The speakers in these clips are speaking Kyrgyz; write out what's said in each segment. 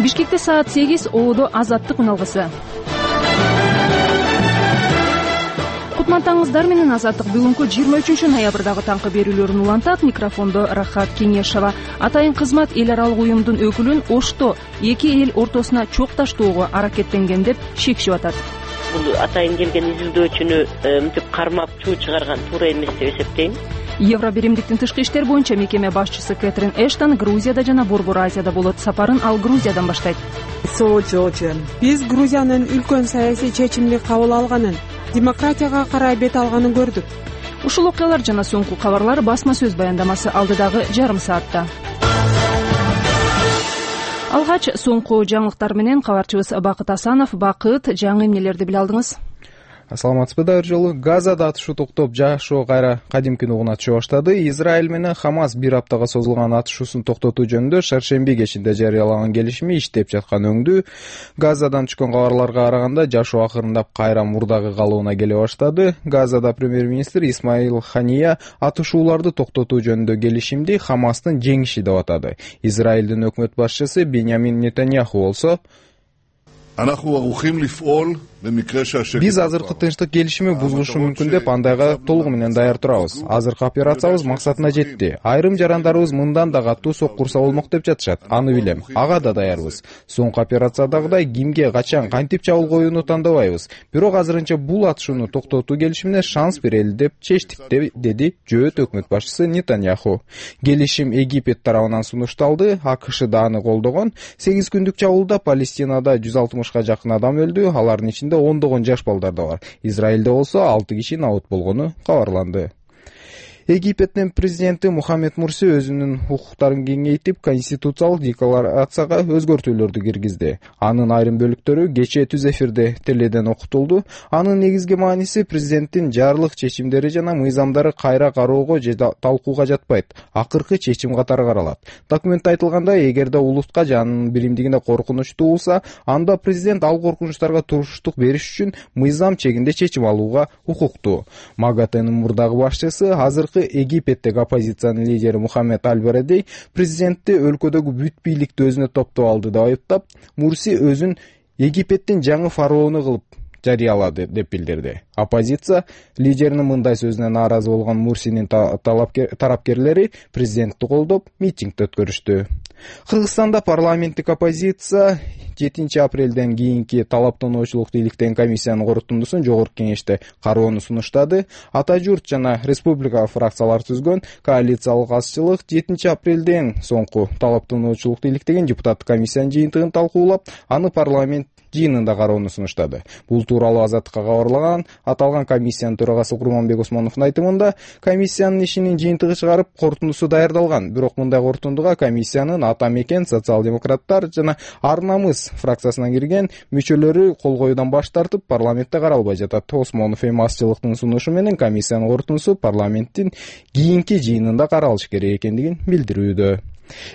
Бишкекте саат 8 ООД азаттык үналгысы. Кутмандаңыздар менен азаттык бүгүнкү 23 ноябрдагы таңкы берүүлөрүн улантат. Микрофондо Рахат Кеңешова. Атайын кызмат эл аралык уюмдун өкүлүн Ошто эки эл ортосуна чок таштоого аракеттенген деп шекчип атат. Бул атайын келген изилдөөчүнү мынтип кармап чуу чыгарган туура эмес деп эсептейм. Евро биримдиктин тышкы иштер боюнча мекеме башчысы Кэтрин Эштон Грузияда жана Борбор Азияда болот. Сапарын ал Грузиядан баштайт. Биз Грузиянын үлкөн саясий чечимди кабыл алганын, демократияга карай бет алганын көрдүк. Ушул окуялар жана соңку кабарлар басма сөз баяндамасы алдыдагы жарым саатта. Алгач соңку жаңылыктар менен кабарчыбыз Бакыт Асанов. Бакыт, жаңы эмнелерди биле алдыңыз? Саламатсызбы да жолу. Газада атышуу токтоп, жашоо кайра кадимки нугуна түшө баштады. Израиль менен Хамас бир аптага созулган атышуусун токтотуу жөнүндө шаршемби кечинде жарыялаган келишими иштеп жаткан өңдүү. Газадан түшкөн кабарларга караганда жашоо акырындап кайра мурдагы калыбына келе баштады. Газада премьер-министр Исмаил Хания атышууларды токтотуу жөнүндө келишимди Хамастын жеңиши деп атады. Израилдин өкмөт башчысы Беньямин Нетаньяху болсо: Биз азыркы тынчтык келишими бузулушу мүмкүн деп андайга толугу менен даяр турабыз. Азыркы операциябыз максатына жетти. Айрым жарандарыбыз мындан да катуу сок курса болмок деп жатышат. Аны билем. Ага да даярбыз. Соңку операциядагыдай кимге, качан, кантип чабуул коюуну тандабайбыз. Бирок азырынча бул атышууну токтотуу келишимине шанс берели деп чечтик, деди жөөт өкмөт башчысы Нетаньяху. Келишим Египет тарабынан сунушталды. АКШ да аны колдогон. 8 күндүк чабуулда Палестинада 160га жакын адам өлдү. Алардын ичинде ондогон жаш балдар да бар. Израилде болсо 6 киши набыт болгону кабарланды. Египеттин президенти Мухаммед Мурси өзүнүн укуктарын кеңейтип, конституциялык декларацияга өзгөртүүлөрдү киргизди. Анын айрым бөлүктөрү кечээ түз эфирде теледен окутулду. Анын негизги мааниси президенттин жарлык чечимдери жана мыйзамдары кайра кароого же талкууга жатпайт. Акыркы чечим катары каралат. Документте айтылгандай, эгерде улутка жанын биримдигине коркунуч туулса, анда президент ал коркунучтарга туруштук бериш үчүн мыйзам чегинде чечим алууга укуктуу. МАГАТЭнин мурдагы башчысы, азыркы Египеттеги оппозициянын лидери Мухаммед Аль-Барадей президентти өлкөдөгү бүт бийликти өзүнө топтоп алды деп айыптап, Мурси өзүн Египеттин жаңы фараону кылып жарыялады деп билдирди. Оппозиция лидеринин мындай сөзүнө нааразы болгон Мурсинин тарапкерлери президентти колдоп митинг өткөрүштү. Кыргызстанда парламенттик оппозиция 7 апрелден кийинки талаптануучулукту иликтеген комиссиянын корутундусун жогорку кеңеште кароону сунуштады. Ата журт жана республика фракциялар түзгөн коалициялык азчылык 7 апрелден соңку талаптануучулукту иликтеген депутаттык комиссиянын жыйынтыгын талкуулап, аны парламент жыйынында кароону сунуштады. Бул тууралуу Азаттыкка кабарлаган аталган комиссиянын төрагасы Курманбек Осмоновдун айтымында, комиссиянын ишинин жыйынтыгы чыгарып, корутундусу даярдалган. Бирок мындай корутундуга комиссиянын Ата мекен, социал-демократтар жана Ар намыс фракциясынан кирген мүчөлөрү кол коюудан баш тартып, парламентте каралбай жатат. Осмонов эми азчылыктын сунушу менен комиссиянын корутундусу парламенттин кийинки жыйынында каралышы керек экендигин билдирүүдө.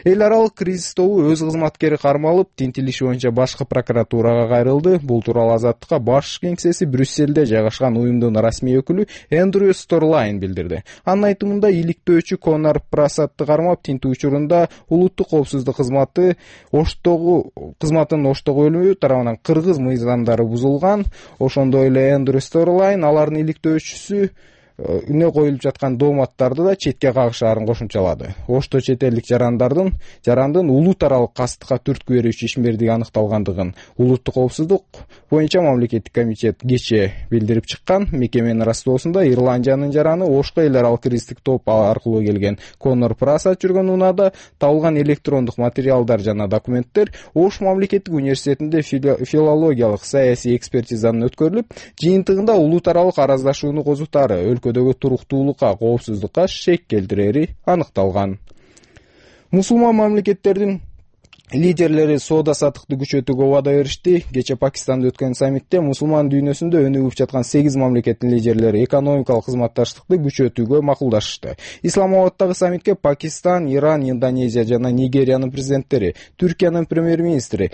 Эл аралык кризис тобу өз кызматкери кармалып, тинтилиши боюнча башкы прокуратурага кайрылды. Бул тууралуу Азаттыкка баш кеңсеси Брюссельде жайгашкан уюмдун расмий өкүлү Эндрю Сторлайн билдирди. Анын айтымында, иликтөөчү Конор Прасатты кармап, тинтүү учурунда улуттук коопсуздук кызматынын Оштогу бөлүмү тарабынан кыргыз мыйзамдары бузулган. Ошондой эле Эндрю Сторлайн алардын иликтөөчүсү үне коюлуп жаткан дооматтарды да четке кагышаарын кошумчалады. Ошто чет элдик жарандын улут аралык кастыкка түрткү берүүчү ишмердиги аныкталгандыгын улуттук коопсуздук боюнча мамлекеттик комитет кечээ билдирип чыккан. Мекеменин растоосунда Ирландиянын жараны Ошко эл аралык кристик топ аркылуу келген Конор Прасат жүргөн унаада табылган электрондук материалдар жана документтер Ош мамлекеттик университетинде филологиялык саясий экспертизанын өткөрүлүп, жыйынтыгында улут аралык араздашууну козутаары, өлкөдөгү туруктуулукка, коопсуздукка шек келтирери аныкталган. Мусулман мамлекеттердин лидерлери соода-саттыкты күчөтүүгө убада беришти. Кечээ Пакистанда өткөн саммитте мусулман дүйнөсүндө өнүгүп жаткан 8 мамлекеттин лидерлери экономикалык кызматташтыкты күчөтүүгө макулдашышты. Исламабадтагы саммитке Пакистан, Иран, Индонезия жана Нигериянын президенттери, Түркиянын премьер-министри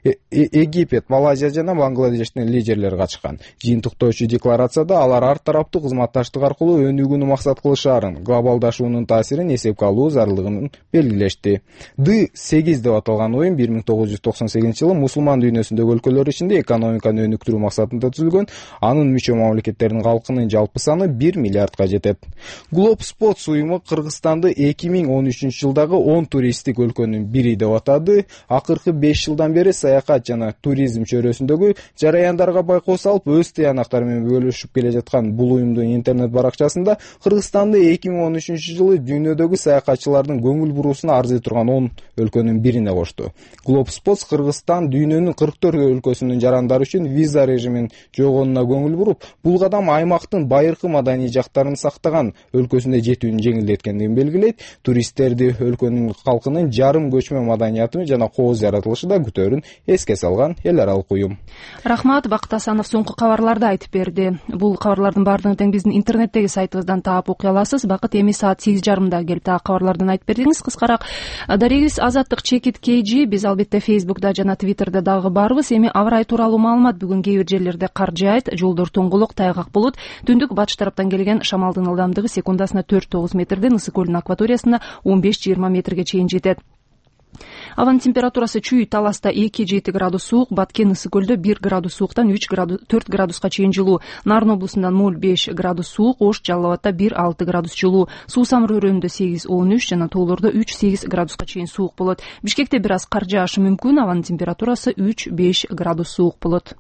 Египет, Малайзия жана Бангладештин лидерлери катышкан. Жыйынтыктоочу декларацияда алар ар тараптуу кызматташтык аркылуу өнүгүүнү максат кылышаарын, глобалдашуунун таасирин эсепке алуу зарылдыгын белгилешти. D8 деп аталган оюн 1998-жылы мусулман дүйнөсүндөгү өлкөлөр ичинде экономиканы өнүктүрүү максатында түзүлгөн. Анын мүчө мамлекеттердин калкынын жалпы саны 1 миллиардга жетет. Globe Spots уюму Кыргызстанды 2013-жылдагы 10 туристтик өлкөнүн бири деп атады. Акыркы 5 жылдан бери саякат жана туризм чөйрөсүндөгү жараяндарга байкоо салып, өз тыянактары менен бөлүшүп келе жаткан бул уюмдун интернет баракчасында Кыргызстанды 2013-жылы дүйнөдөгү саякатчылардын көңүл буруусуна арзый турган 10 өлкөнүн бирине кошту. Globe Spots Кыргызстан дүйнөнүн 44 өлкөсүнүн жарандары үчүн виза режимин жойгонуна көңүл буруп, бул кадам аймактын байыркы маданий жактарын сактаган өлкөсүнө жетүүнү жеңилдеткендигин белгилейт. Туристтерди өлкөнүн калкынын жарым көчмө маданияты жана кооз жаратылышы да күтөөрүн эске салган эл аралык уюм. Рахмат, Бакыт Асанов соңку кабарларды айтып берди. Бул кабарлардын баардыгын тең биздин интернеттеги сайтыбыздан таап окуй аласыз. Бакыт, эми саат 8:30 келип дагы кабарлардан айтып бердиңиз. Кыскараак дарегибиз Азаттык Чекит KG. Биз албетте Facebook'да жана Twitter'да дагы барбыз. Эми аба ырайы тууралуу маалымат. Бүгүн кээ бир жерлерде кар жаайт, жолдор тоңголок, тайгак болот. Түндүк батыш тараптан келген шамалдын ылдамдыгы секундасына 4-9 метрден Ысык көлүнүн акваториясына 15-20 метрге чейин жетет. Абанын температурасы Чүй Таласта 2-7 градус суук, Баткен Ысык көлдө 1 градус сууктан 4 градуска чейин жылуу, Нарын облусунда 0-5 градус суук, Ош Жалал Абадта 1-6 градус жылуу, Суу Самыр өрөөнүндө 8-13 жана тоолордо 3-8 градуска чейин суук болот. Бишкекте бир аз кар жаашы мүмкүн, абанын температурасы 3-5 градус суук болот.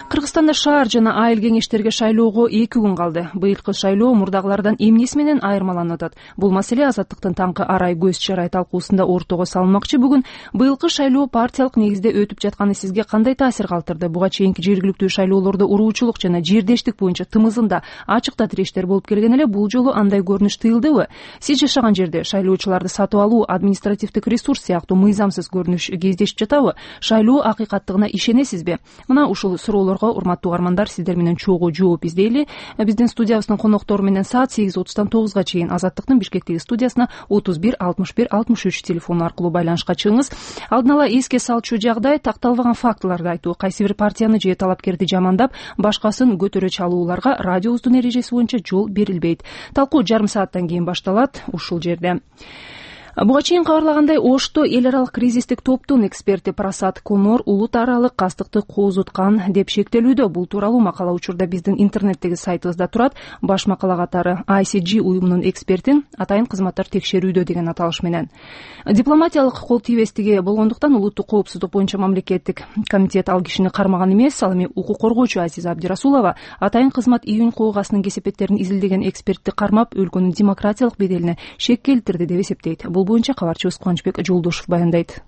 Кыргызстанда шаар жана айыл кеңештерге шайлоого 2 күн калды. Быйылкы шайлоо мурдагылардан эмнеси менен айырмаланып атат? Бул маселе Азаттыктын таңкы арай көз чарай талкуусунда ортого салынмакчы. Бүгүн быйылкы шайлоо партиялык негизде өтүп жатканы сизге кандай таасир калтырды? Буга чейинки жергиликтүү шайлоолордо уруучулук жана жердештик боюнча тымызында ачыкта тирештер болуп келген эле, бул жолу андай көрүнүш тыйылдыбы? Сиз жашаган жерде шайлоочуларды сатып алуу, административдик ресурс сыяктуу мыйзамсыз көрүнүш кездешип жатабы? Шайлоо акыйкаттыгына ишенесизби? Мына ушул суроолорго урматтуу угармандар, сиздер менен чогуу жооп издейли. Биздин студиябыздын коноктору менен саат 8:30-тан 9-га чейин Азаттыктын Бишкектеги студиясына 31 61 63 телефону аркылуу байланышка чыгыңыз. Алдын ала эске салчу жагдай, такталбаган фактыларды айтуу, кайсы бир партияны же талапкерди жамандап, башкасын көтөрө чалууларга радиобуздун эрежеси боюнча жол берилбейт. Талкуу жарым сааттан кийин башталат ушул жерде. Буга чейин кабарлагандай, Ошто эл аралык кризистик топтун эксперти Прасад Конор улут аралык кастыкты кооздуткан деп шектелүүдө. Бул тууралуу макала учурда биздин интернеттеги сайтыбызда турат. Баш макала катары ICG уюмунун экспертин атайын кызматтар текшерүүдө деген аталыш менен. Дипломатиялык кол тийбестиги болгондуктан улуттук коопсуздук боюнча мамлекеттик комитет ал кишини кармаган эмес. Ал эми укук коргоочу Азиза Абдирасулова атайын кызмат июнь койгасынын кесепеттерин изилдеген экспертти кармап, өлкөнүн демократиялык беделине шек келтирди деп эсептейт. Бул боюнча кабарчыбыз Кубанычбек Жолдошев баяндайт.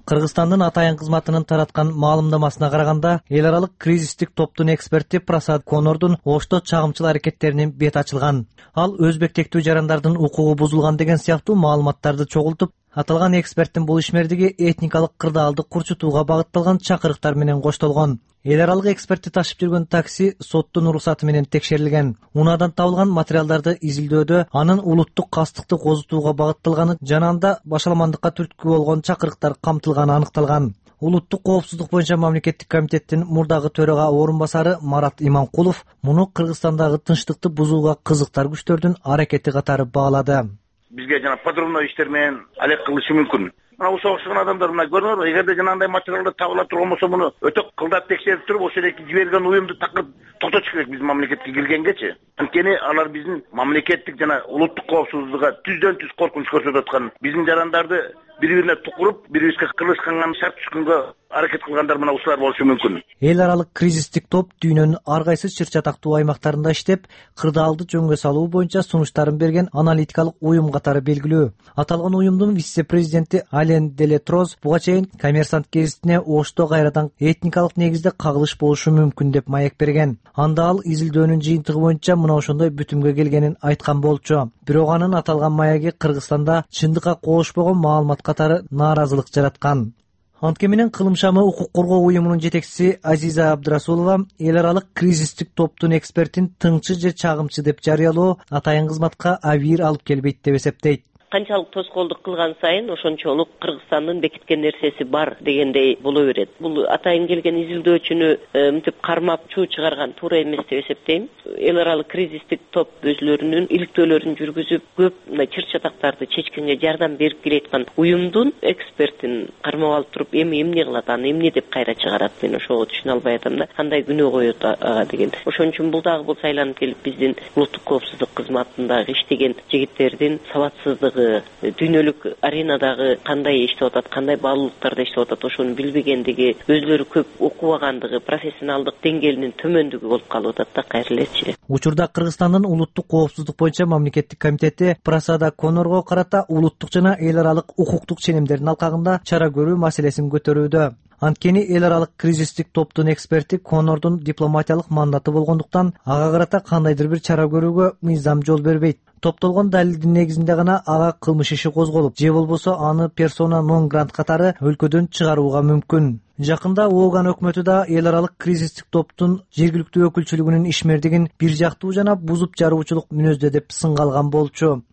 Кыргызстандын атайын кызматынын тараткан маалымдамасына караганда, эл аралык кризистик топтун эксперти Прасад Конордун Ошто чагымчыл аракеттеринин бет ачылган. Ал өзбек тектүү жарандардын укугу бузулган деген сыяктуу маалыматтарды чогултуп, аталган эксперттин бул ишмердиги этникалык кырдаалды курчутууга багытталган чакырыктар менен коштолгон. Эл аралык экспертти ташып жүргөн такси соттун уруксаты менен текшерилген. Унаадан табылган материалдарды изилдөөдө анын улуттук кастыкты козутууга багытталганы жана анда башаламандыкка түрткү болгон чакырыктар камтылганы аныкталган. Улуттук коопсуздук боюнча мамлекеттик комитеттин мурдагы төрага орун басары Марат Иманкулов муну Кыргызстандагы тынчтыкты бузууга кызыктар күчтөрдүн аракети катары баалады. Бизге жана подрывной иштер менен алек кылышы мүмкүн. Мына ушул окшогон адамдар мына көрүңөр, эгерде жанагындай материалдар табыла турган болсо, муну өтө кылдап текшерип туруп, ошол эки жиберген уюмду такыр токтотуш керек биздин мамлекетке киргенгечи. Анткени алар биздин мамлекеттик жана улуттук коопсуздукка түздөн түз коркунуч көрсөтүп аткан, биздин жарандарды бири-бирине тукуруп, бири-бирибизге кылышканга шарт түшкөнгө аракет кылгандар мына ушулар болушу мүмкүн. Эл аралык кризистик топ дүйнөнүн ар кайсы чыр чатактуу аймактарында иштеп, кырдаалды жөнгө салуу боюнча сунуштарын берген аналитикалык уюм катары белгилүү. Аталган уюмдун вице-президенти Ален Делетроз буга чейин Коммерсант гезитине Ошто кайрадан этникалык негизде кагылыш болушу мүмкүн деп маек берген. Анда ал изилдөөнүн жыйынтыгы боюнча мына ошондой бүтүмгө келгенин айткан болчу. Бирок анын аталган маяги Кыргызстанда чындыкка коошпогон маалымат катары нааразылык жараткан. Антке менен Кылым шамы укук коргоо уюмунун жетекчиси Азиза Абдрасулова эл аралык кризистик топтун экспертин тыңчы же чагымчы деп жарыялоо атайын кызматка абийир алып келбейт деп эсептейт. Канчалык тоскоолдук кылган сайын ошончолук Кыргызстандын бекиткен нерсеси бар дегендей боло берет. Бул атайын келген изилдөөчүнү мынтип кармап чуу чыгарган туура эмес деп эсептейм. Эл аралык кризистик топ өзлөрүнүн иликтөөлөрүн жүргүзүп, көп мындай чыр чатактарды чечкенге жардам берип келаткан уюмдун экспертин кармап алып туруп эми эмне кылат, аны эмне деп кайра чыгарат, мен ошого түшүнө албай атам да. Кандай күнөө коет ага деген. Ошон үчүн бул дагы бул сайланып келип биздин улуттук коопсуздук кызматындагы иштеген жигиттердин сабатсыздыгы, дүйнөлүк аренадагы кандай иштеп атат, кандай баалуулуктарда иштеп атат, ошону билбегендиги, өзлөрү көп окубагандыгы, профессионалдык деңгээлинин төмөндүгү болуп калып атат да кайра элечи. Учурда Кыргызстандын улуттук коопсуздук боюнча мамлекеттик комитети Прасада Конорго карата улуттук жана эл аралык укуктук ченемдердин алкагында чара көрүү маселесин көтөрүүдө. Анткени эл аралык кризистик топтун эксперти Конордун дипломатиялык мандаты болгондуктан ага карата кандайдыр бир чара көрүүгө мыйзам жол бербейт. Топтолгон далилдин негизинде гана ага кылмыш иши козголуп, же болбосо аны персона нон грант катары өлкөдөн чыгарууга мүмкүн. Жакында Ооган өкмөтү да эл аралык кризистик топтун жергиликтүү өкүлчүлүгүнүн ишмердигин бир жактуу жана бузуп жаруучулук мүнөздө деп сынга алган болчу.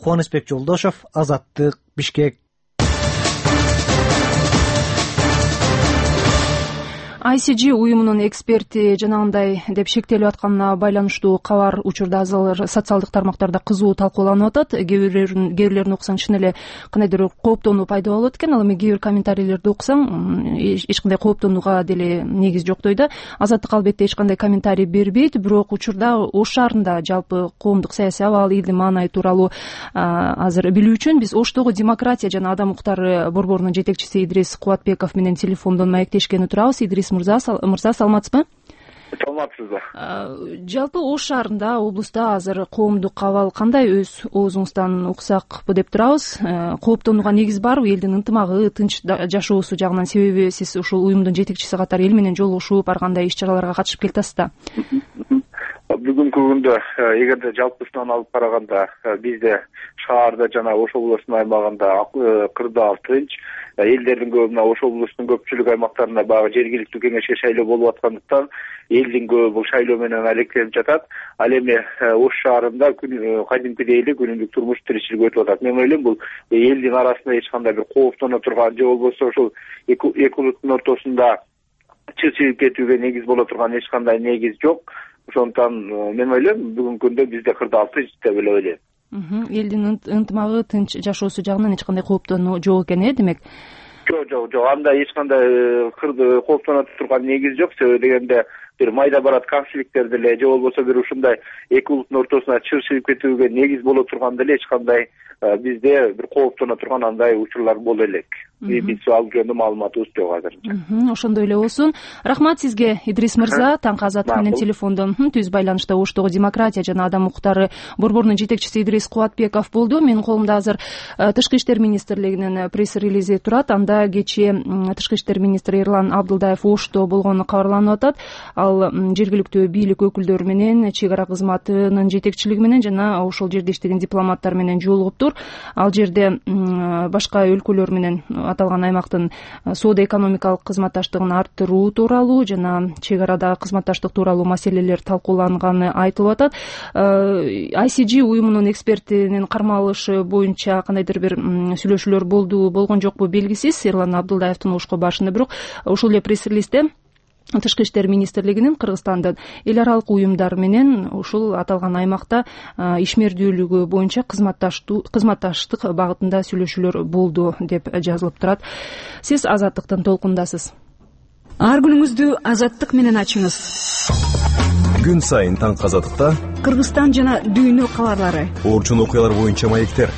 Кубанычбек Жолдошов, Азаттык, Бишкек. ICG уюмунун эксперти жанагындай деп шектелип атканына байланыштуу кабар учурда азыр социалдык тармактарда кызуу талкууланып атат. Кээ бирлерин окусаң чын эле кандайдыр кооптонуу пайда болот экен. Ал эми кээ бир комментарийлерди окусаң эч кандай кооптонууга деле негиз жоктой да. Азаттык албетте эч кандай комментарий бербейт, бирок учурда Ош шаарында жалпы коомдук саясий абал, элдин маанайы тууралуу азыр билүү үчүн биз Оштогу демократия жана адам укуктары борборунун жетекчиси Идрис Кубатбеков менен телефондон маектешкени турабыз. Идрис мырза, саламатсызбы? Саламатсызбы. Жалпы Ош шаарында, облуста азыр коомдук абал кандай, өз оозуңуздан уксакпы деп турабыз. Кооптонууга негиз барбы? Элдин ынтымагы, тынч жашоосу жагынан, себеби сиз ушул уюмдун жетекчиси катары эл менен жолугушуп, ар кандай иш-чараларга катышып келатасыз да. Бүгүнкү күндө эгерде жалпысынан алып караганда бизде шаарда жана Ош облусунун аймагында кырдаал тынч, элдердин көбү мына Ош облусунун көпчүлүк аймактарында баягы жергиликтүү кеңешке шайлоо болуп аткандыктан элдин көбү бул шайлоо менен алектенип жатат. Ал эми Ош шаарында кадимкидей эле күнүмдүк турмуш тиричилик өтүп атат. Мен ойлойм бул элдин арасында эч кандай бир кооптоно турган же болбосо ошол эки улуттун ортосунда чыгып кетүүгө негиз боло турган эч кандай негиз жок. Ошондуктан мен ойлойм бүгүнкү күндө бизде кырдаал тынч деп эле ойлойм. Элдин ынтымагы, тынч жашоосу жагынан эч кандай кооптонуу жок экен, демек? Жок, андай эч кандай кооптоно турган негиз жок. Себеби дегенде бир майда барат конфликттер деле же болбосо бир ушундай эки улуттун ортосуна чыгып кетүүгө негиз боло турган деле эч кандай бизде бир кооптоно турган андай учурлар боло элек. Биз алып жөнүндө маалыматыбыз жок азырынча. Ошондой эле болсун. Рахмат сизге, Идрис мырза. Таңкы Азаттык менен телефондон түз байланышта Оштогу демократия жана адам укуктары борборунун жетекчиси Идрис Кубатбеков болду. Менин колумда азыр Тышкы иштер министрлигинин пресс-релизи турат. Анда кечээ Тышкы иштер министри Эрлан Абдылдаев Ошто болгону кабарланып атат. Ал жергиликтүү бийлик өкүлдөрү менен, чек ара кызматынын жетекчилиги менен жана ошол жерде иштеген дипломаттар менен жолугуптур. Ал жерде башка өлкөлөр менен аталган аймактын соода-экономикалык кызматташтыгын арттыруу тууралуу жана чек арадагы кызматташтык тууралуу маселелер талкууланганы айтылып атат. ICG уюмунун экспертинин кармалышы боюнча кандайдыр бир сүйлөшүүлөр болгон жокпу белгисиз Эрлан Абдылдаевдин Ошко барышында, бирок ушул эле пресс-релизде Тышкы иштер министрлигинин Кыргызстандын эл аралык уюмдар менен ушул аталган аймакта ишмердүүлүгү боюнча кызматташтык багытында сүйлөшүүлөр болду деп жазылып турат. Сиз Азаттыктын толкундасыз. Ар күнүңүздү Азаттык менен ачыңыз. Күн сайын таңкы Азаттыкта Кыргызстан жана дүйнө кабарлары, орчун окуялар боюнча маектер.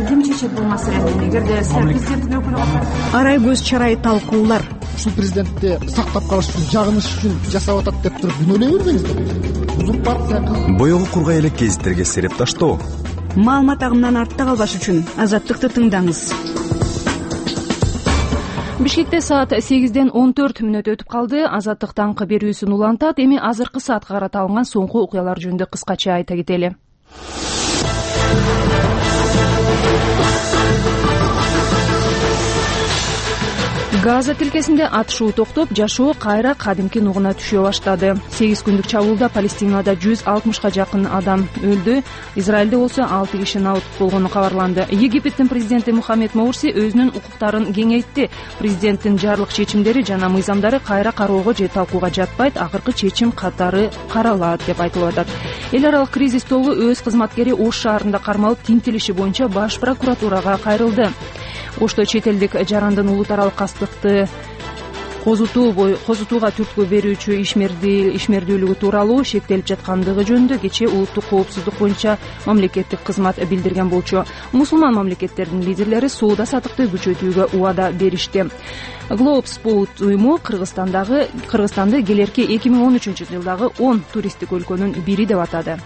Ким чечет бул маселени? Эгерде президенттин өкүлү катары арай көз чарай талкуулар. Ушул президентти сактап калыш үчүн, жагыныш үчүн жасап атат деп туруп күнөөлөй бербеңиздер. Узурпация. Боёгу кургай элек гезиттерге сереп таштоо. Маалымат агымынан артта калбаш үчүн Азаттыкты тыңдаңыз. Бишкекте саат 8-ден 14 мүнөт өтүп калды. Азаттык таңкы берүүсүн улантат. Эми азыркы саатка карата алынган соңку окуялар жөнүндө кыскача айта кетели. Газа тилкесинде атышуу токтоп, жашоо кайра кадимки нугуна түшө баштады. 8 күндүк чабуулда Палестинада 160га жакын адам өлдү. Израилде болсо 6 киши набыт болгону кабарланды. Египеттин президенти Мухаммед Мурси өзүнүн укуктарын кеңейтти. Президенттин жарлык чечимдери жана мыйзамдары кайра кароого же талкууга жатпайт, акыркы чечим катары каралат деп айтылып атат. Эл аралык кризис тобу өз кызматкери Ош шаарында кармалып, тинтелиши боюнча баш прокуратурага кайрылды. Ошто чет элдик жарандын улут аралык кастыкты козутууга түрткү берүүчү ишмердүүлүгү тууралуу шектелип жаткандыгы жөнүндө кечээ улуттук коопсуздук боюнча мамлекеттик кызмат билдирген болчу. Мусулман мамлекеттердин лидерлери соода саттыкты күчөтүүгө убада беришти. Globesport уюму Кыргызстанды келерки 2013-жылдагы 10 туристтик өлкөнүн бири деп атады.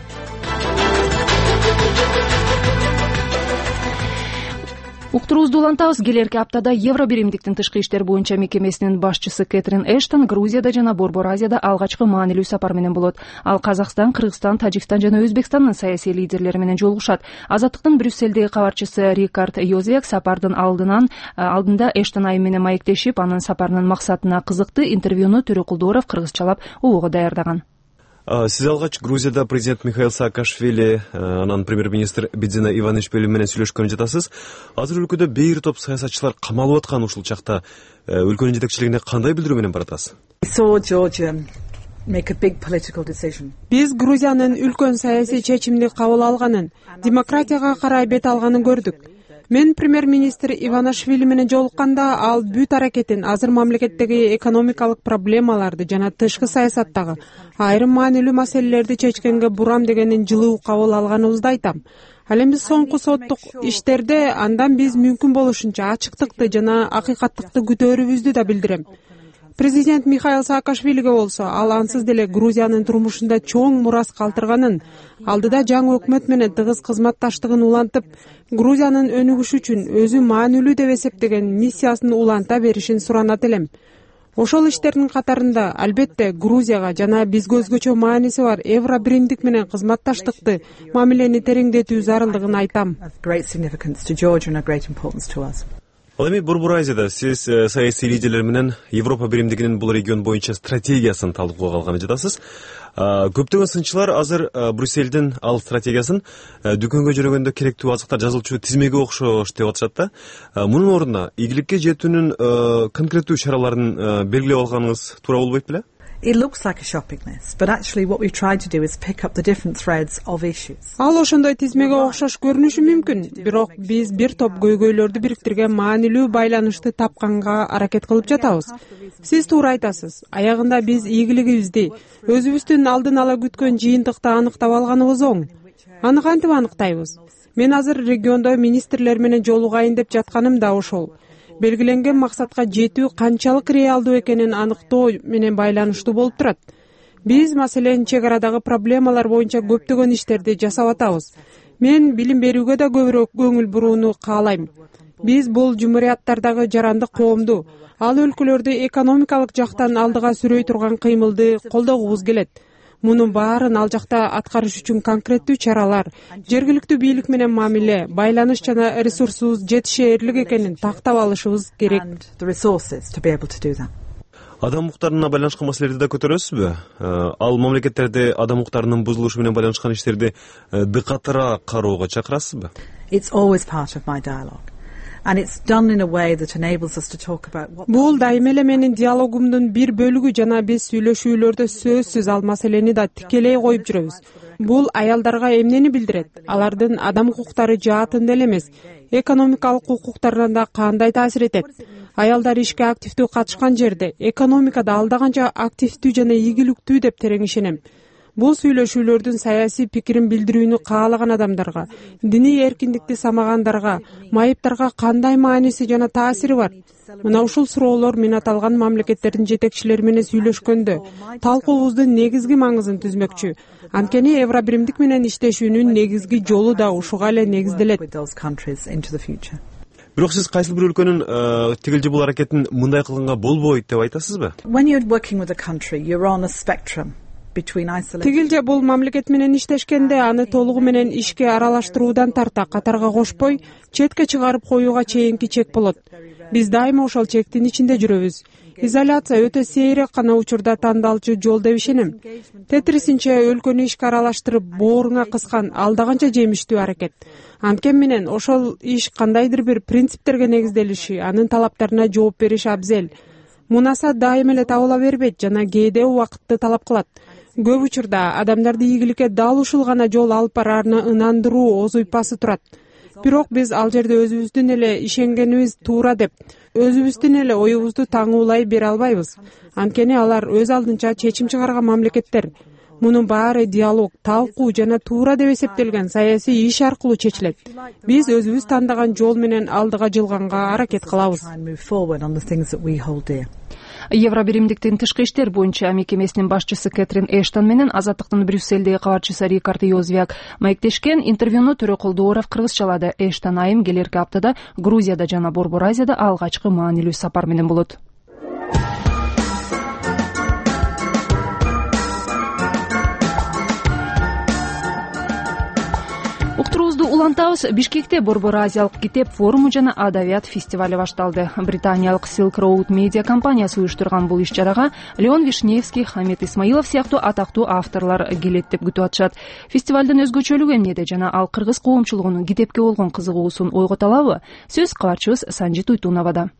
Уктуруубузду улантабыз. Келерки аптада Евробиримдиктин тышкы иштер боюнча мекемесинин башчысы Кэтрин Эштон Грузияда жана Борбор Азияда алгачкы маанилүү сапар менен болот. Ал Казакстан, Кыргызстан, Тажикстан жана Өзбекстандын саясий лидерлери менен жолугушат. Азаттыктын Брюссельдеги кабарчысы Рикард Йозек сапардын алдында Эштон айым менен маектешип, анын сапарынын максатына кызыкты. Интервьюну Төрөкулдууров кыргызчалап убого даярдаган. Сиз алгач Грузияда президент Михаил Саакашвили, анан премьер-министр Бидзина Иванишвили менен сүйлөшкөн жатасыз. Азыр өлкөдө бир топ саясатчылар камалып аткан ушул чакта өлкөнүн жетекчилигине кандай билдирүү менен баратасыз? Биз Грузиянын үлкөн саясий чечимди кабыл алганын, демократияга карай бет алганын көрдүк. Мен премьер-министр Иванишвили менен жолукканда ал бүт аракетин азыр мамлекеттеги экономикалык проблемаларды жана тышкы саясаттагы айрым маанилүү маселелерди чечкенге бурам дегенин жылуу кабыл алганыбызды айтам. Ал эми соңку соттук иштерде андан биз мүмкүн болушунча ачыктыкты жана акыйкаттыкты күтөөрүбүздү да билдирем. Президент Михаил Саакашвилиге болсо ал ансыз деле Грузиянын турмушунда чоң мурас калтырганын, алдыда жаңы өкмөт менен тыгыз кызматташтыгын улантып, Грузиянын өнүгүшү үчүн өзү маанилүү деп эсептеген миссиясын уланта беришин суранат элем. Ошол иштердин катарында албетте Грузияга жана бизге өзгөчө мааниси бар Евробиримдик менен кызматташтыкты, мамилени тереңдетүү зарылдыгын айтам. Ал эми Борбор Азияда сиз саясий лидерлер менен Европа биримдигинин бул регион боюнча стратегиясын талкууга алганы жатасыз. Көптөгөн сынчылар азыр Брюссельдин ал стратегиясын дүкөнгө жөнөгөндө керектүү азыктар жазылчу тизмеге окшош деп атышат да. Мунун ордуна игиликке жетүүнүн конкреттүү чараларын белгилеп алганыңыз туура болбойт беле? It looks like a shopping list, but actually what we've tried to do is pick up the different threads of issues. Ал ошондой тизмеге окшош көрүнүшү мүмкүн, бирок биз бир топ көйгөйлөрдү бириктирген маанилүү байланышты тапканга аракет кылып жатабыз. Сиз туура айтасыз. Аягында биз ийгилигибизди, өзүбүздүн алдын ала күткөн жыйынтыкты аныктап алганыбыз оң. Аны кантип аныктайбыз? Мен азыр региондо министрлер менен жолугайын деп жатканым да ошол. Белгиленген максатка жетүү канчалык реалдуу экенин аныктоо менен байланыштуу болуп турат. Биз маселен чек арадагы проблемалар боюнча көптөгөн иштерди жасап атабыз. Мен билим берүүгө да көбүрөөк көңүл бурууну каалайм. Биз бул жумурияттардагы жарандык коомду, ал өлкөлөрдү экономикалык жактан алдыга сүрөй турган кыймылды колдогубуз келет. Мунун баарын ал жакта аткарыш үчүн конкреттүү чаралар, жергиликтүү бийлик менен мамиле, байланыш жана ресурсубуз жетишээрлик экенин тактап алышыбыз керек. Адам укуктарына байланышкан маселелерди да көтөрөсүзбү? Ал мамлекеттерде адам укуктарынын бузулушу менен байланышкан иштерди дыкатыраак кароого чакырасызбы? It's always part of my dialogue. And it's done in a way that enables us to talk about what. Бул дайыма эле менин диалогумдун бир бөлүгү жана биз сүйлөшүүлөрдө сөзсүз ал маселени да тикелей коюп жүрөбүз. Бул аялдарга эмнени билдирет? Алардын адам укуктары жаатында эле эмес, экономикалык укуктарына да кандай таасир этет? Аялдар ишке активдүү катышкан жерде экономикада алда канча активдүү жана ийгиликтүү деп терең ишенем. Бул сүйлөшүүлөрдүн саясий пикирин билдирүүнү каалаган адамдарга, диний эркиндикти самагандарга, майыптарга кандай мааниси жана таасири бар? Мына ушул суроолор мен аталган мамлекеттердин жетекчилери менен сүйлөшкөндө талкуубуздун негизги маңызын түзмөкчү. Анткени Евробиримдик менен иштешүүнүн негизги жолу да ушуга эле негизделет. Бирок сиз кайсыл бир өлкөнүн тигил же бул аракетин мындай кылганга болбойт деп айтасызбы? When you're working with a country, you're on a spectrum. Тигил же бул мамлекет менен иштешкенде аны толугу менен ишке аралаштыруудан тарта катарга кошпой, четке чыгарып коюуга чейинки чек болот. Биз дайыма ошол чектин ичинде жүрөбүз. Изоляция өтө сейрек гана учурда тандалчу жол деп ишенем. Тетрисинче өлкөнү ишке аралаштырып, бооруңа кыскан алдаганча жемиштүү аракет. Анткени менен ошол иш кандайдыр бир принциптерге негизделиши, анын талаптарына жооп бериш абзел. Мунаса дайыма эле табыла бербейт жана кээде убакытты талап кылат. Көп учурда адамдарды ийгиликке дал ушул гана жол алып бараарына ынандыруу оз уйпасы турат. Бирок биз ал жерде өзүбүздүн эле ишенгенибиз туура деп, өзүбүздүн эле оюбузду таңуулай бере албайбыз. Анткени алар өз алдынча чечим чыгарган мамлекеттер. Мунун баары диалог, талкуу жана туура деп эсептелген саясий иш аркылуу чечилет. Биз өзүбүз тандаган жол менен алдыга жылганга аракет кылабыз. Евробиримдиктин тышкы иштер боюнча мекемесинин башчысы Кэтрин Эштон менен Азаттыктын Брюссельдеги кабарчысы Рикард Йозвяк маектешкен интервьюну Төрөкул Дооров кыргызчалады. Эштон айым келерки аптада Грузияда жана Борбор Азияда алгачкы маанилүү сапар менен болот. Уктуруубузду улантабыз. Бишкекте Борбор Азиялык китеп форуму жана адабият фестивалю башталды. Британиялык Silk Road Media компаниясы уюштурган бул иш-чарага Леон Вишневский, Хамит Исмаилов сыяктуу атактуу авторлор келет деп күтүп атышат. Фестивалдын өзгөчөлүгү эмнеде жана ал кыргыз коомчулугунун китепке болгон кызыгуусун ойгото алабы? Сөз кабарчыбыз Санжит Уйтуновада.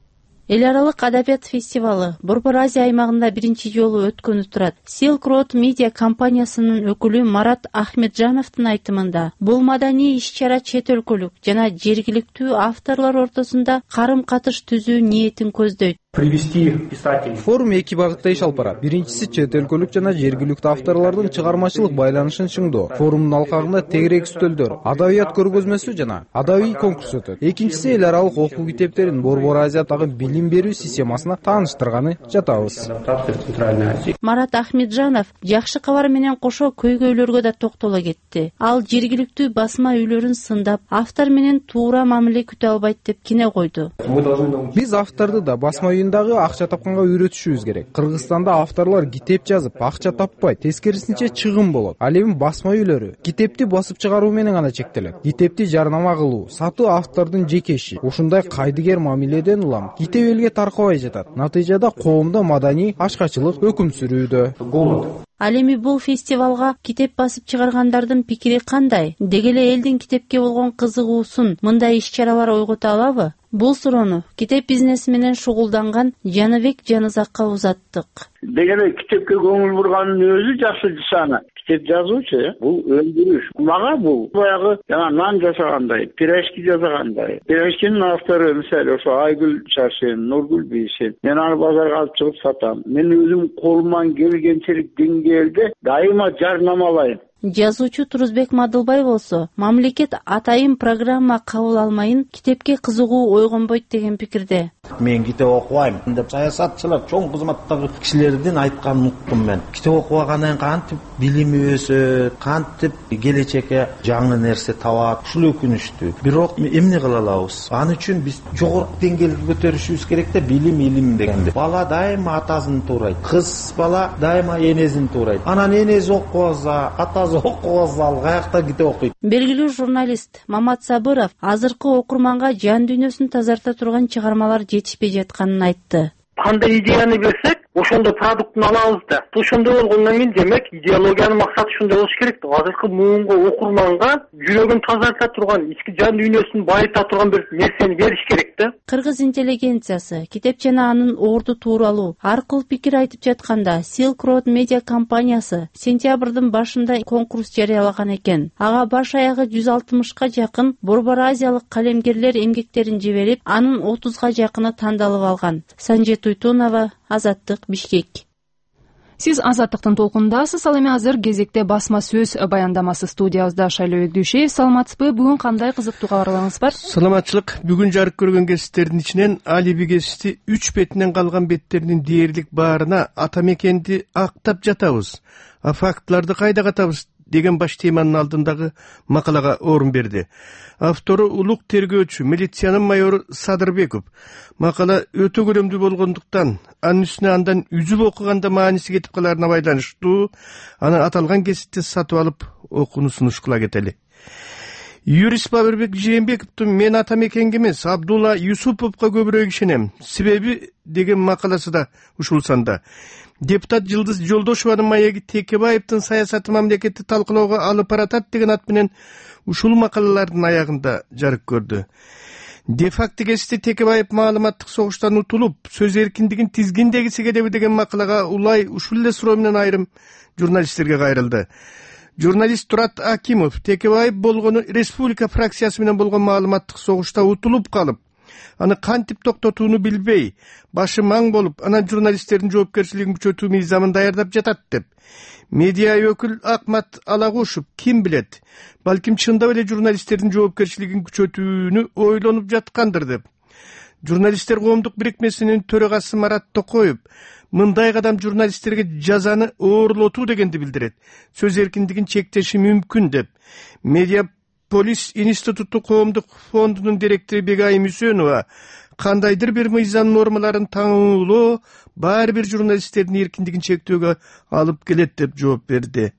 Эл аралык адабият фестивалы Борбор Азия аймагында биринчи жолу өткөнү турат. Silk Road Media компаниясынын өкүлү Марат Ахметжановдун айтымында, бул маданий иш-чара чет өлкөлүк жана жергиликтүү авторлор ортосунда карым-катыш түзүү ниетин көздөйт. Форум эки багытта иш алып барат. Биринчиси чет өлкөлүк жана жергиликтүү авторлордун чыгармачылык байланышын чыңдоо. Форумдун алкагында тегерек үстөлдөр, адабият көргөзмөсү жана адабий конкурс өтөт. Экинчиси эл аралык окуу китептерин Борбор Азиядагы билим берүү системасына тааныштырганы жатабыз. Марат Ахметжанов жакшы кабар менен кошо көйгөйлөргө да токтоло кетти. Ал жергиликтүү басма үйлөрүн сындап, автор менен туура мамиле күтө албайт деп кине койду. Биз авторду да басма дагы акча тапканга үйрөтүшүбүз керек. Кыргызстанда авторлор китеп жазып, акча таппай, тескерисинче чыгым болот. Ал эми басма үйлөрү китепти басып чыгаруу менен гана чектелет. Китепти жарнама кылуу, сатуу автордун жеке иши. Ушундай кайдыгер мамиледен улам китеп элге таркабай жатат. Натыйжада коомдо маданий ачкачылык өкүм сүрүүдө. Ал эми бул фестивалга китеп басып чыгаргандардын пикири кандай? Деги эле элдин китепке болгон кызыгуусун мындай иш-чаралар ойгото алабы? Бул суроону китеп бизнеси менен шугулданган Жаныбек Жанызакка узаттык. Деги эле китепке көңүл бурганын өзү жакшы нышана. Китеп жазуучу бул өндүрүш. Мага бул баягы жана нан жасагандай, пирожки жасагандай. Пирожкинин автору мисалы ошо Айгүл Чаршин, Нургүл Бейшин. Мен аны базарга алып чыгып сатам. Мен өзүм колуман келгенчелик деңгээлде дайыма жарнамалайм. Жазуучу Турузбек Мадылбай болсо, мамлекет атайын программа кабыл алмайын, китепке кызыгуу ойгонбойт деген пикирде. Мен китеп окубайм деп саясатчылар, чоң кызматтагы кишилердин айтканын уктум мен. Китеп окубагандан кантип билими өсөт, кантип келечекке жаңы нерсе табат, ушул өкүнүчтүү. Бирок эмне кыла алабыз? Аны үчүн биз жогорку деңгээлге көтөрүшүбүз керек да, билим дегенде. Бала дайыма атасын туурайт, кыз бала дайыма энесин туурайт. Анан энеси окубаса, атасы окубаса, ал каякта китеп окуйт. Белгилүү журналист Мамат Сабыров азыркы окурманга жан дүйнөсүн тазарта турган чыгармалар жетишпей жатканын айтты. Кандай идеяны берсек, ошондой продуктун алабыз да. Ошондой болгондон кийин демек идеологиянын максаты ушундай болуш керек да. Азыркы муунга окурманга жүрөгүн тазарта турган, ички жан дүйнөсүн байыта турган бир нерсени бериш керек да. Кыргыз интеллигенциясы китеп жана анын орду тууралуу ар кыл пикир айтып жатканда Silk Road Media компаниясы сентябрдын башында конкурс жарыялаган экен. Ага баш аягы 160ка жакын Борбор Азиялык калемгерлер эмгектерин жиберип, анын 30га жакыны тандалып алган. Санжит Уйтунова, Азаттык, Бишкек. Сиз Азаттыктын толкундасыз. Ал эми азыр кезекте басма сөз баяндамасы студиябызда. Шайлоо Дүйшеев, саламатсызбы? Бүгүн кандай кызыктуу кабарларыңыз бар? Саламатчылык. Бүгүн жарык көргөн кесиптердин ичинен Алиби кесипти 3 бетинен калган беттеринин дээрлик баарына ата мекенди актап жатабыз. А фактларды кайда катабыз деген баш теманын алдындагы макалага орун берди. Автору улук тергөөчү, милициянын майору Садырбеков. Макала өтө көлөмдүү болгондуктан, анын үстүнө андан үзүп окуганда мааниси кетип каларына байланыштуу, анан аталган кесипти сатып алып окууну сунуш кыла кетели. юрист Бабырбек Жээнбековдун "Мен ата мекенге эмес, Абдулла Юсуповго көбүрөөк ишенем. Себеби" деген макаласы да ушул санда. Депутат Жылдыз Жолдошованын маеги Текебаевдин саясаты мамлекетти талкуулоого алып баратат деген ат менен ушул макалалардын аягында жарык көрдү. Де-факто кесте Текебаев маалыматтык согуштан утулуп, сөз эркиндигин тизгиндегиси келеби деген макалага улай ушул эле суроо менен айрым журналисттерге кайрылды. Журналист Турат Акимов Текебаев болгону республика фракциясы менен болгон маалыматтык согушта утулуп калып, аны кантип токтотууну билбей, башы маң болуп, анан журналисттердин жоопкерчилигин күчөтүү мыйзамын даярдап жатат деп. Медиа өкүл Акмат Алагушев ким билет, балким чындап эле журналисттердин жоопкерчилигин күчөтүүнү ойлонуп жаткандыр деп. Журналисттер коомдук бирикмесинин төрагасы Марат Токоев мындай кадам журналисттерге жазаны оорлотуу дегенди билдирет. Сөз эркиндигин чектеши мүмкүн деп. Медиаполис институту коомдук фондунун директору Бегайым Үсөнова кандайдыр бир мыйзам нормаларын таңуулоо баары бир журналисттердин эркиндигин чектөөгө алып келет деп жооп берди.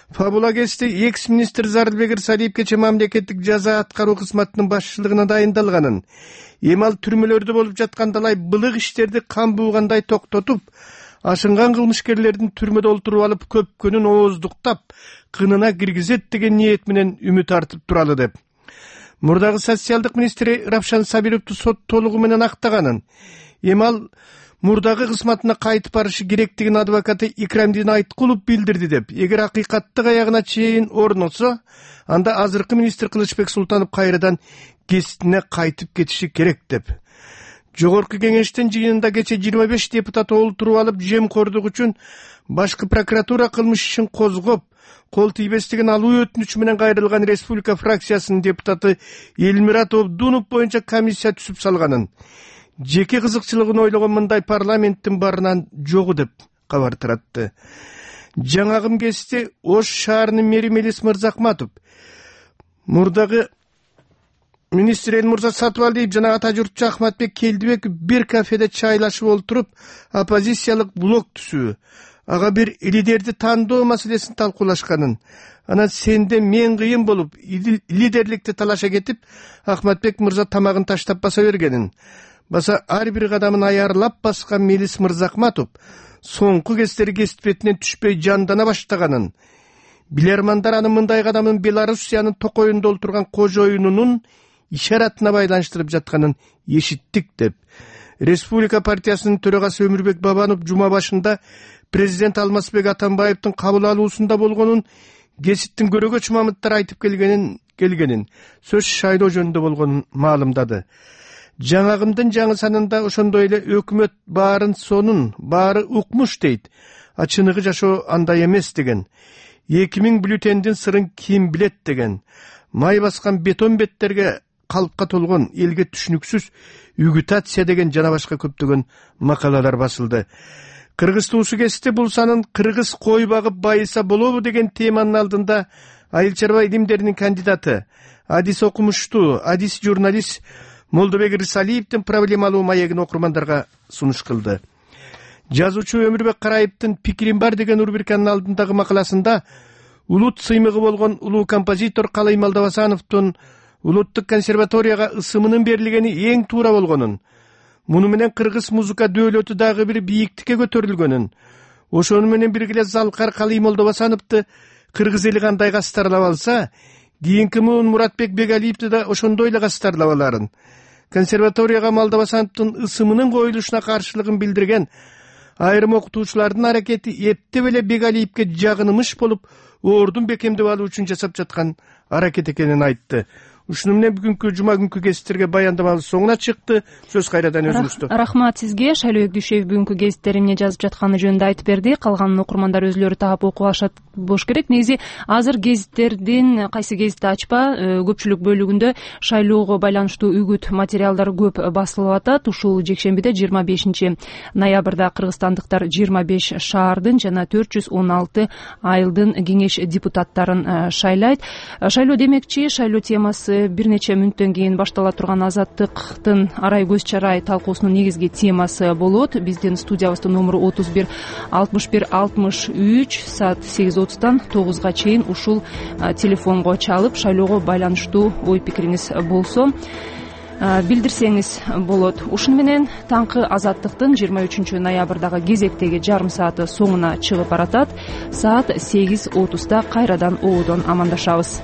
Фабула кесте экс-министр Зарылбек Ырсалиев кечээ мамлекеттик жаза аткаруу кызматынын башчылыгына дайындалганын, эми ал түрмөлөрдө болуп жаткандалай былык иштерди кан буугандай токтотуп, ашынган кылмышкерлердин түрмөдө олтуруп алып көпкөнүн ооздуктап, кынына киргизет деген ниет менен үмүт артып туралы деп. Мурдагы социалдык министри Равшан Сабировду сот толугу менен актаганын, эми ал мурдагы кызматына кайтып барышы керектигин адвокаты Икрамдин Айткулов билдирди деп. Эгер акыйкаттык аягына чейин орносо, анда азыркы министр Кылычбек Султанов кайрадан кесиптине кайтып кетиши керек деп. Жогорку кеңештин жыйынында кече 25 депутат олтуруп алып, жемкордук үчүн башкы прокуратура кылмыш ишин козгоп, кол тийбестигин алуу өтүнүчү менен кайрылган республика фракциясынын депутаты Элмират Обдунов боюнча комиссия түзүп салганын, жеке кызыкчылыгын ойлогон мындай парламенттин барынан жогу деп кабар таратты. Жаңагым кесте Ош шаарынын мэри Мелис Мырзахматов мурдагы министр Элмурза Сатыбалдиев жана ата журтчу Ахматбек Келдибеков бир кафеде чайлашып олтуруп, оппозициялык блок түзүү, ага бир лидерди тандоо маселесин талкуулашканын, анан сенде мен кыйын болуп, лидерликти талаша кетип, Ахматбек мырза тамагын таштап баса бергенин, баса ар бир кадамын аярлап баскан Мелис Мырзахматов соңку кездери кесип бетинен түшпөй жандана баштаганын, билермандар анын мындай кадамын Белоруссиянын токоюнда олтурган кожоюнунун ишаратына байланыштырып жатканын эшиттик деп. Республика партиясынын төрагасы Өмүрбек Бабанов жума башында президент Алмазбек Атамбаевдин кабыл алуусунда болгонун, кесиптин көрөгөч мамыттар айтып келгенин, сөз шайлоо жөнүндө болгонун маалымдады. Жаңагымдын жаңы санында ошондой эле өкмөт баарын сонун, баары укмуш дейт, а чыныгы жашоо андай эмес деген. 2000 бюллетендин сырын ким билет деген. Май баскан бетон беттерге калпка толгон, элге түшүнүксүз үгүтация деген жана башка көптөгөн макалалар басылды. Кыргыз туусу кесте бул санын кыргыз кой багып байыса болобу деген теманын алдында айыл чарба илимдеринин кандидаты, адис окумуштуу, адис журналист Молдобек Ырсалиевдин проблемалуу маегин окурмандарга сунуш кылды. Жазуучу Өмүрбек Караевдин «Пикирим бар» деген рубриканын алдындагы макаласында улут сыймыгы болгон улуу композитор Калый Малдабасановдун улуттук консерваторияга ысымынын берилгени эң туура болгонун, муну менен кыргыз музыка дөөлөтү дагы бир бийиктикке көтөрүлгөнүн, ошону менен биргеле Залкар Калый Малдабасановду кыргыз эли кандай кастарлап алса, кийинки муун Муратбек Бегалиевди да ошондой эле кастарлап аларын, консерваторияга Малдабасановдун ысымынын коюлушуна каршылыгын билдирген айрым окутуучулардын аракети эптеп эле Бегалиевге жагынымыш болуп, ордун бекемдеп алуу үчүн жасап жаткан аракет экенин айтты. Ушуну менен бүгүнкү жума күнкү гезиттерге баяндамабыз соңуна чыкты. Сөз кайрадан өзүңүздө. Рахмат сизге. Шайлоо Өкдүшев бүгүнкү гезиттери эмне жазып жатканы жөнүндө айтып берди. Калган окурмандар өзүлөрү таап окуп алышат болуш керек. Негизи азыр гезиттердин кайсы гезитти ачпа, көпчүлүк бөлүгүндө шайлоого байланыштуу үгүт материалдар көп басылып атат. Ушул жекшембиде 25 ноябрда кыргызстандыктар 25 шаардын жана 416 айылдын кеңеш депутаттарын шайлайт. Шайлоо демекчи, шайлоо темасы бир нече мүнөттөн кийин баштала турган Азаттыктын арай көз чарай талкуусунун негизги темасы болот. Биздин студиябыздын номуру 31 61 63 саат 8:30 9га чейин ушул телефонго чалып шайлоого байланыштуу ой пикириңиз болсо билдирсеңиз болот. Ушуну менен таңкы Азаттыктын 23 ноябрдагы кезектеги жарым сааты соңуна чыгып баратат. Саат 8:30 кайрадан ободон амандашабыз.